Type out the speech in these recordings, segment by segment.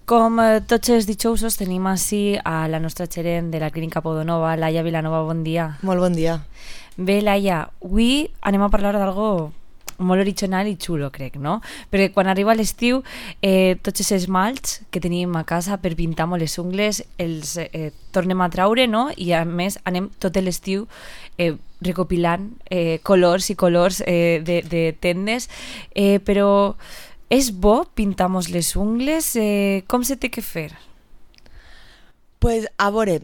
Com tots els dijous tenim així a la nostra gerent de la Clínica Podonova, Laia Vilanova, bon dia. Molt bon dia. Bé, Laia, avui anem a parlar d'algo molt original i xulo, crec, no? Perquè quan arriba l'estiu, tots els esmalts que tenim a casa per pintar molt les ungles els tornem a traure, no? I a més anem tot l'estiu recopilant colors i colors de tendes, però és bo pintar-nos les ungles? Com se té que fer? Pues, a veure,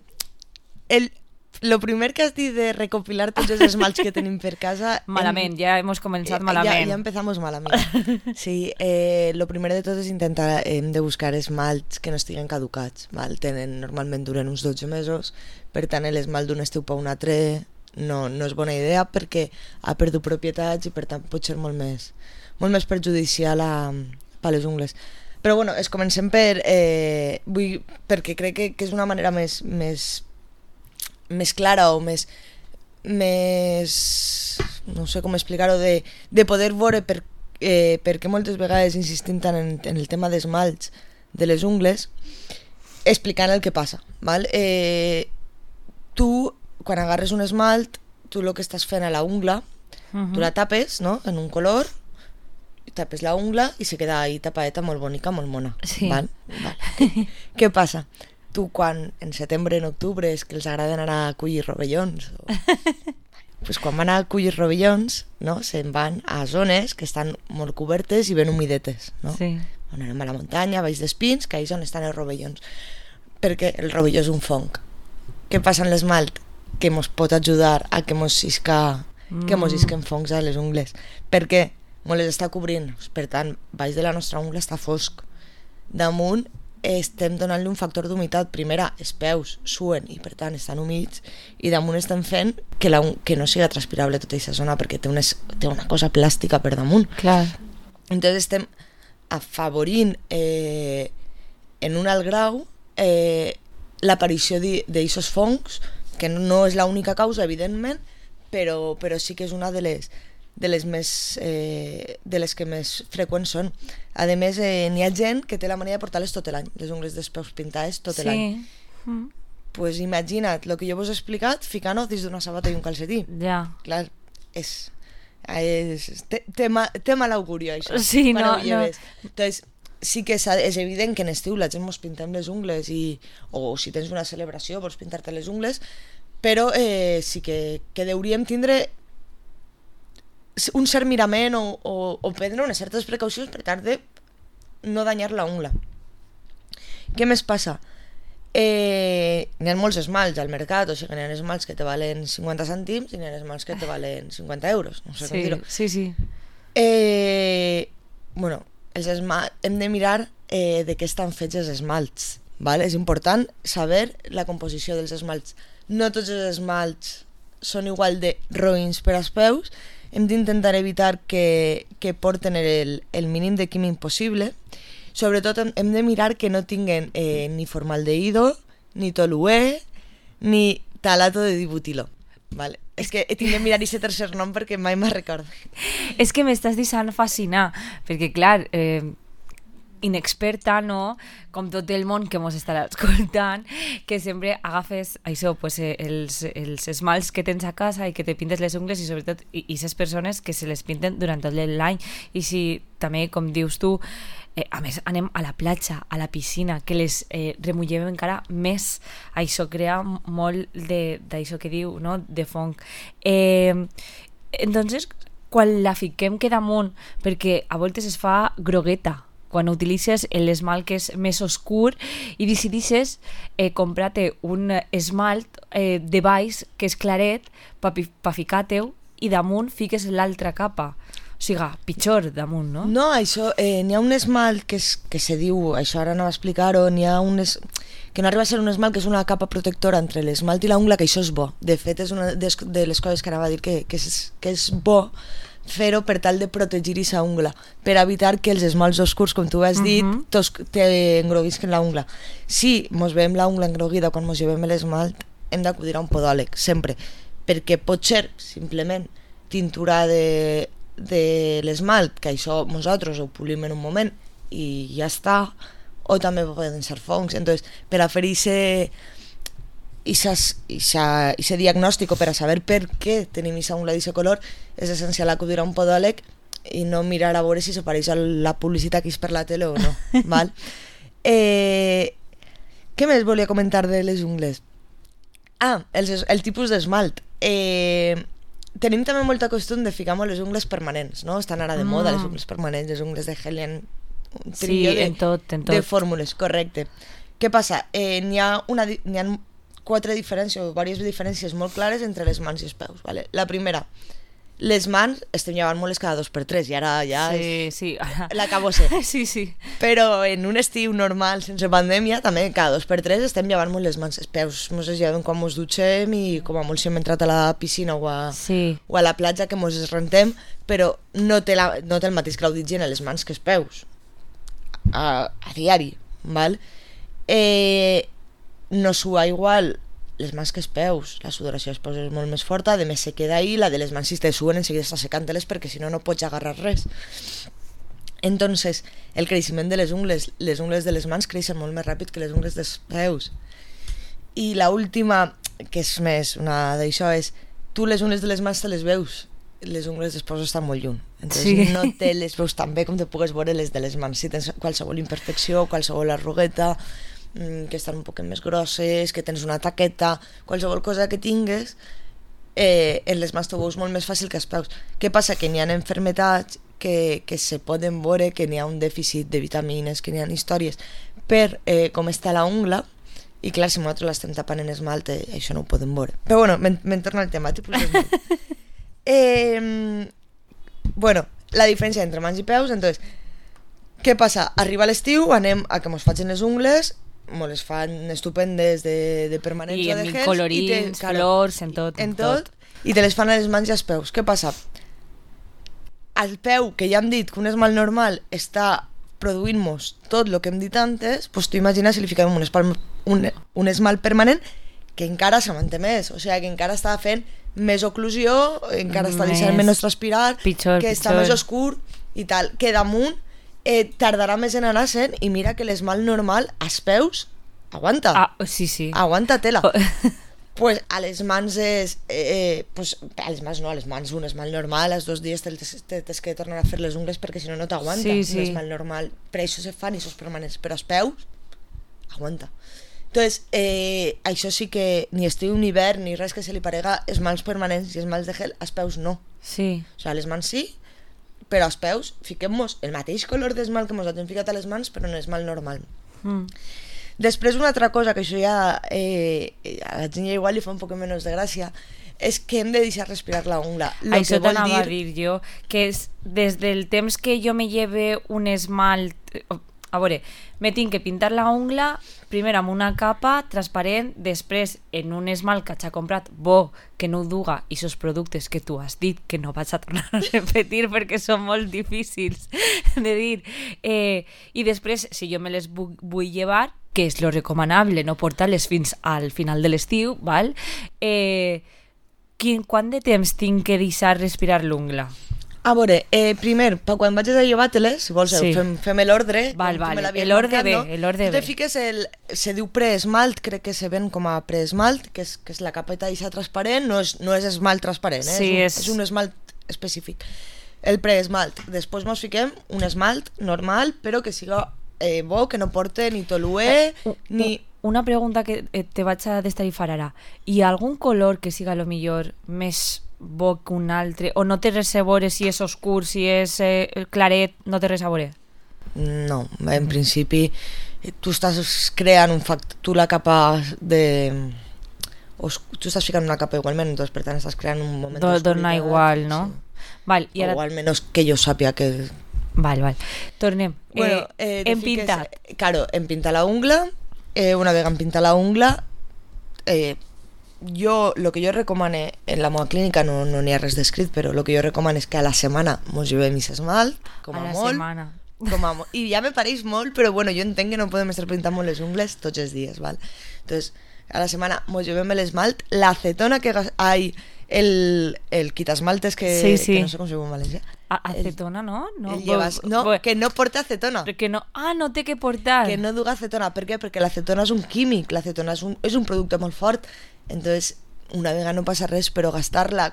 lo primer que has dit de recopilar tots els esmalts que tenim per casa... Malament, ja hem començat malament. Ja empezamos malament. Sí, lo primer de tot és intentar de buscar esmalts que no estiguen caducats. Val? Normalment duren uns 12 mesos, per tant l'esmalt d'un estiu per un altre no és bona idea perquè ha perdut propietats i per tant pot ser molt més perjudicial per les ungles. Però bueno, comencem perquè crec que és una manera més clara o més no sé com explicar-ho, de poder veure per què moltes vegades insistim tant en el tema d'esmalts de les ungles, explicant el que passa, val? Tu, quan agarres un esmalt, tu el que estàs fent a la ungla, tu la tapes, no?, en un color, tapes la ungla i se queda ahí tapadeta molt bonica, molt mona. Sí. Val? Què passa? Tu quan en setembre, en octubre, és que els agrada anar a collir rovellons, pues quan van a collir rovellons, no, se'n van a zones que estan molt cobertes i ben humidetes, no? Sí. On anem a la muntanya, baix d'espins, que ahí és on estan els rovellons. Perquè el rovelló és un fong. Què passa amb l'esmalt? Que mos pot ajudar a que mos isquen fongs a les ungles. Per què? Mos les està cobrint. Per tant, baix de la nostra ungla està fosc. Damunt estem donant-li un factor d'humitat. Primera, els peus suen i per tant estan humits, i damunt estem fent que no siga transpirable tota aquesta zona perquè té una cosa plàstica per damunt. Clar. Entonces estem afavorint en un alt grau l'aparició d'aquests fongs, que no és l'única causa, evidentment, però sí que és una de les que més freqüents són. A més, n'hi ha gent que té la mania de portar-les tot l'any, les ungles dels peus pintades tot l'any. Pues imagina't el que jo vos he explicat ficant-ho dins d'una sabata i un calcetí. Ja. Clar, té mal auguri això. Sí, no. Entonces, sí que és evident que en estiu la gent mos pintem les ungles o si tens una celebració vols pintar-te les ungles, però sí que hauríem tindre un cert mirament o prendre unes certes precaucions per tal de no danyar la ungla. Què més passa? N'hi ha molts esmalts al mercat, o sigui, n'hi ha esmalts que te valen 50 cèntims i n'hi ha esmalts que te valen 50 euros, no sé com dir-ho. Sí. Bueno, hem de mirar de què estan fets els esmalts, val? És important saber la composició dels esmalts. No tots els esmalts són igual de roïns per als peus. Hem d'intentar evitar que porten el mínim de químic possible. Sobretot hem de mirar que no tinguen ni formaldehído, ni toluè, ni talato de dibutilo. Vale. És que tinc de mirar aquest tercer nom perquè mai me'n recordo. És que m'estàs deixant fascinar, perquè clar, inexperta, no? Com tot el món que mos estarà escoltant, que sempre agafes això, pues, els esmalts que tens a casa i que te pintes les ungles, i sobretot aquestes persones que se les pinten durant tot l'any. I si també, com dius tu, a més anem a la platja, a la piscina, que les remullem encara més, això crea molt d'això que diu, no?, de fong. Entonces, quan la fiquem que damunt, perquè a voltes es fa grogueta, quan utilitzes l'esmalt que és més oscur i decidixes comprar-te un esmalt de baix que és claret per ficar-te-ho i damunt fiques l'altra capa. O sigui, pitjor damunt, no? No, això, n'hi ha un esmalt que se diu, això ara no va explicar-ho, n'hi ha que no arriba a ser un esmalt, que és una capa protectora entre l'esmalt i l'ungla, que això és bo. De fet, és una de les coses que anava a dir que és bo fer-ho per tal de protegir aquesta ungla, per evitar que els esmalts oscurs, com tu has dit, t'engroguisquen la ungla. Si mos veiem la ungla engroguida quan mos llevem l'esmalt, hem d'acudir a un podòleg, sempre, perquè pot ser simplement tintura de l'esmalt, que això nosaltres ho polim en un moment i ja està, o també poden ser fongs. Entonces, per a fer ese diagnòstic o per a saber per què tenim aquesta ungla d'aquest color, és essencial acudir a un podòleg i no mirar a veure si se pareix a la publicitat que és per la tele o no. Val? Què més volia comentar de les ungles? El tipus d'esmalt. Tenim també molta costum de ficar molt les ungles permanents, no? Estan ara de moda les ungles permanents, les ungles de gel, un trio de fórmules, correcte. Què passa? N'hi ha 4 diferències o diverses diferències molt clares entre les mans i els peus. Vale? La primera, les mans estem llevant molt cada 2x3 i ara ja l'acabo ser. Sí. Però en un estiu normal, sense pandèmia, també cada 2x3 estem llevant molt les mans. Els peus mos es lleven quan mos dutxem i com a molt si hem entrat a la piscina o a la platja que mos es rentem, però no té el mateix grau d'higiene les mans que els peus a diari. Val? No sua igual les mans que els peus, la sudoració dels peus és molt més forta, a més se queda ahí, la de les mans si te suen enseguida està secant-les perquè si no pots agarrar res. Entonces, el creixement de les ungles de les mans creixen molt més ràpid que les ungles dels peus. I la última, que és més una d'això, és tu les ungles de les mans te les veus, les ungles dels peus estan molt lluny. Entonces no te les veus tan bé com te pugues veure les de les mans. Si tens qualsevol imperfecció, qualsevol arrugueta, que estan un poc més grosses, que tens una taqueta, qualsevol cosa que tingues, en les mans t'ho veus molt més fàcil que els peus. Què passa? Que n'hi ha enfermetats que se poden veure, que n'hi ha un dèficit de vitamines, que n'hi ha històries per com està la ungla, i clar, si nosaltres l'estem tapant en esmalt, això no ho podem veure. Però bueno, me'n torno al tema, tipus d'esmalt. Bueno, la diferència entre mans i peus, entonces, què passa? Arriba l'estiu, anem a que mos facin les ungles, mos les fan estupendes de permanents o de gels. I colorins, flors, en tot. I te les fan a les mans i als peus. Què passa? Al peu, que ja hem dit que un esmalt normal està produint-nos tot el que hem dit antes, doncs tu imagina si li fiquem un esmalt permanent que encara se manté més, o sigui que encara està fent més oclusió, encara està deixant menys transpirar, que està més oscur i tal, que damunt tardarà més en anar sent, i mira que l'esmalt normal als peus aguanta. Sí. Aguanta tela. Pues a les mans és... a les mans no, a les mans un esmalt normal, als 2 dies t'has que tornar a fer les ungles perquè si no t'aguanta. Sí. Un esmalt normal. Per això se fan i sos permanents, però als peus aguanta. Entonces, això sí que ni estiu ni hivern ni res que se li parega esmalts permanents i esmalts de gel, als peus no. Sí. O sigui, a les mans sí, però als peus fiquem-nos el mateix color d'esmalt que ens hem ficat a les mans, però en esmalt normal. Després, una altra cosa que això ja a la gent ja igual li fa un poc menys de gràcia, és que hem de deixar respirar la ungla. Això t'anava a dir jo, que és des del temps que jo me lleve un esmalt... A veure, me tinc que pintar la ungla primer amb una capa transparent, després en un esmalt que s'ha comprat bo, que no ho duga, i esos productes que tu has dit que no vaig a tornar a repetir perquè són molt difícils de dir, i després si jo me les vull llevar, que és lo recomanable, no portar-les fins al final de l'estiu, val? Quant de temps tinc que deixar respirar l'ungla? A veure, primer, quan vagis a llevar-te-les, si vols, fem l'ordre. Val, l'ordre bé, l'ordre bé. Tu te fiques se diu preesmalt, crec que se ven com a preesmalt, que és la capeta d'aquesta transparent, no és esmalt transparent, és un esmalt específic. El preesmalt. Després mos fiquem un esmalt normal, però que siga bo, que no porte ni toluè, ni... Una pregunta que te vaig a destarifar ara. Hi ha algun color que siga lo millor més bo que un altre? O no té res a veure si és oscur, si és claret, no té res a veure? No, en principi tu estàs creant un factor, tu la capa de... tu estàs ficant una capa igualment, doncs per tant estàs creant un moment d'oscuritat. Dona igual, no? Sí. Val, i ara... O almenys que jo sàpia que... Val. Tornem. Bueno, hem pintat. Claro, hem pintat la ungla, una vegada hem pintat la ungla, lo que jo recomane en la meva clínica, no n'hi ha res descrit, però lo que jo recomane és que a la setmana mos llevem aquest esmalt, com a molt. Setmana. I ja me pareix molt, però bueno, jo entenc que no podem estar pintant molt les ungles tots els dies, val? Entonces, a la setmana mos llevem l'esmalt, l'acetona que el quitasmaltes que no sé com se diu en valencià. Acetona, no? Que no porta acetona. Que no, no té que portar. Que no duga acetona. Per què? Perquè l'acetona és un químic, l'acetona és un producte molt fort. Entonces, una vegada no passa res, però gastar-la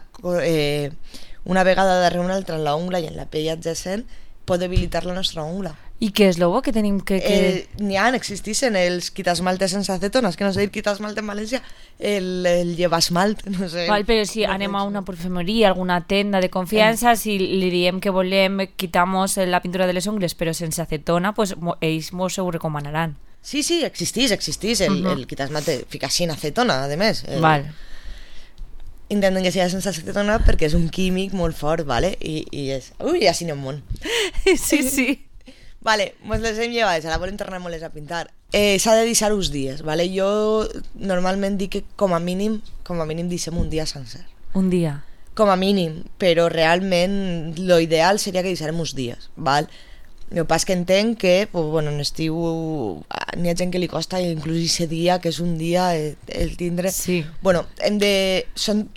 una vegada darrere una altra en la ungla i en la pell adjacent pot debilitar la nostra ungla. I què és l'obo que tenim que... Existeixen els quitasmaltes sense acetona, és que no sé dir quitasmalte en valencià, el llevasmalt, no sé. Val, però si anem a una perfumeria, alguna tenda de confiança, si li diem que volem, quitamos la pintura de les ungles, però sense acetona, pues ells mos ho recomanaran. Sí, existeix el quitasmalte, fica sin acetona, a més. Val. Intenten que sigui sense acetona perquè és un químic molt fort, ¿vale? I és... Ui, així n'hi ha un món. Sí. Vale, pues les hem llevades, ara volem tornar-nos a pintar. S'ha de deixar uns dies, ¿vale? Jo normalment dic que com a mínim deixem un dia sencer. Un dia? Com a mínim, però realment lo ideal seria que deixarem uns dies, ¿vale? El que passa que entenc que, pues, bueno, en estiu n'hi ha gent que li costa inclús ese dia, que és un dia el tindre... Sí. Bueno, són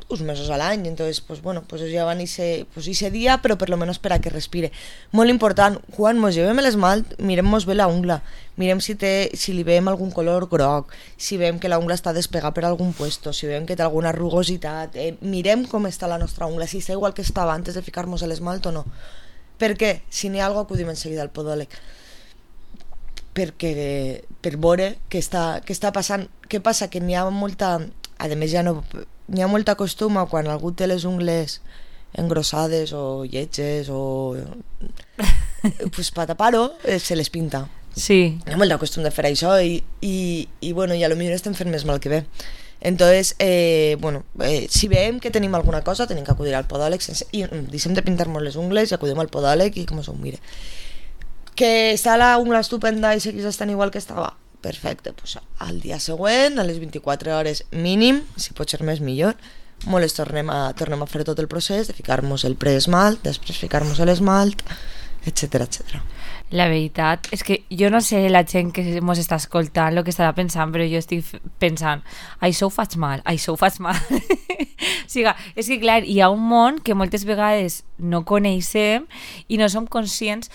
uns mesos a l'any, entonces, pues bueno, pues ja van ese dia, però per lo menos per a que respire. Molt important, quan mos llevem l'esmalt, mirem-mos bé la ungla, mirem si li veiem algun color groc, si veiem que la ungla està despegada per algun puesto, si veiem que té alguna rugositat, mirem com està la nostra ungla, si està igual que estava antes de ficar-nos l'esmalt o no. Per què? Si n'hi ha alguna cosa, acudim en seguida al podòleg. Perquè per veure què està passant. Què passa? Que n'hi ha molta... A més, ja no... N'hi ha molta costum a quan algú té les ungles engrossades o lletges o... pues per tapar-ho se les pinta. Sí. Hi ha molta costum de fer això i bueno, i a lo millor estem fent més mal que bé. Entonces, si veiem que tenim alguna cosa, tenim que acudir al podòleg i deixem de pintar-nos les ungles i acudim al podòleg i com s'ho mire. Que està la ungla estupenda i segueix estant igual que estava? Perfecte, pues al dia següent, a les 24 hores mínim, si pot ser més millor, les tornem a fer tot el procés de ficar-nos el preesmalt, després ficar-nos l'esmalt, etc. La veritat és que jo no sé la gent que mos està escoltant el que estarà pensant, però jo estic pensant això ho faig mal. O sigui, és que clar, hi ha un món que moltes vegades no coneixem i no som conscients.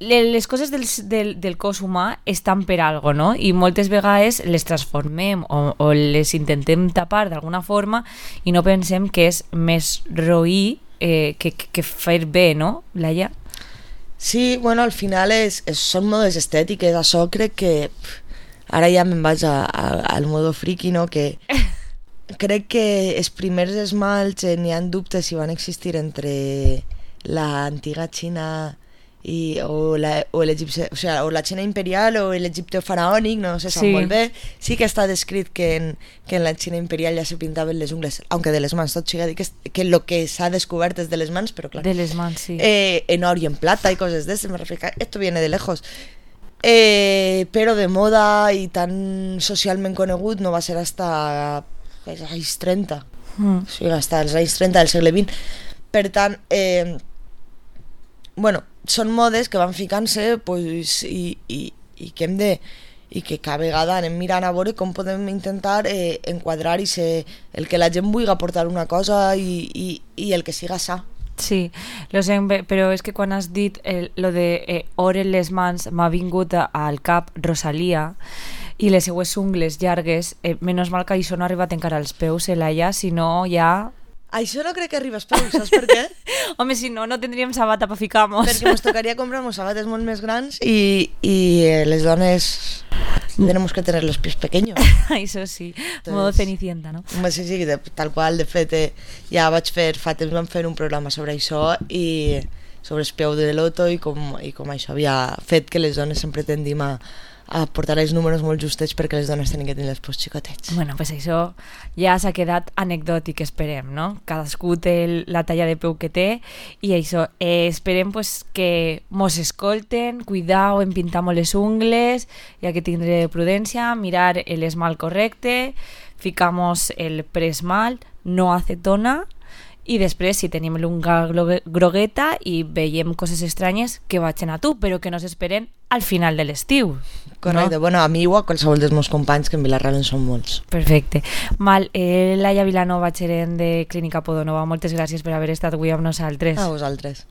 Les coses del cos humà estan per algo, no? I moltes vegades les transformem o les intentem tapar d'alguna forma i no pensem que és més roí que fer bé, no, Laia? Sí, bueno, al final són modes estètiques, això crec que ara ja me'n vaig al modo friki, no? Que crec que els primers esmalts n'hi ha dubtes si van existir entre l'antiga Xina o la Xina imperial o l'Egipte faraònic, no se sap molt bé. Sí que està descrit que en la Xina imperial ja se pintaven les ungles, aunque de les mans, tot siga dir que lo que s'ha descobert és de les mans, però clar, de les mans, sí. En or y en plata y cosas de eso, me refiero, esto viene de lejos. Però de moda i tan socialment conegut no va ser hasta els anys 30, o sigui, hasta els anys 30 del segle XX. Per tant, bueno, són modes que van ficant-se pues, i que hem de i que cada vegada anem mirant a veure com podem intentar enquadrar i ser el que la gent vulgui aportar una cosa i el que siga sa. Sí, lo sé, però és que quan has dit lo de or en les mans m'ha vingut al cap Rosalía i les seues ungles llargues, menys mal que això no ha arribat encara als peus, Laia, si no ja... Això no crec que arribi als peus, saps per què? Home, si no tindríem sabata per ficar-nos. Perquè ens tocaria comprar-nos sabates molt més grans i les dones tenemos que tener los pies pequeños. Això sí, modo Cenicienta, no? Sí, tal qual, de fet, ja fa temps vam fer un programa sobre això i sobre el peu de loto i com això havia fet que les dones sempre tendim a portar els números molt justets perquè les dones tenen que tenir els peus xicotets. Bueno, pues això ja s'ha quedat anecdòtic, esperem, no? Cadascú té la talla de peu que té i això, esperem pues, que mos escolten, cuidau en pintar molt les ungles, ja que tindré prudència, mirar l'esmalt correcte, ficamos el preesmalt, no acetona I després, si tenim l'unga grogueta i veiem coses estranyes, que vagin a tu, però que no s'esperen al final de l'estiu. Correcte, No? bueno, a mi o a qualsevol dels meus companys, que en Vilarreal en són molts. Perfecte. Laia Vilanova, gerent de Clínica Podonova, moltes gràcies per haver estat avui amb nosaltres. A vosaltres.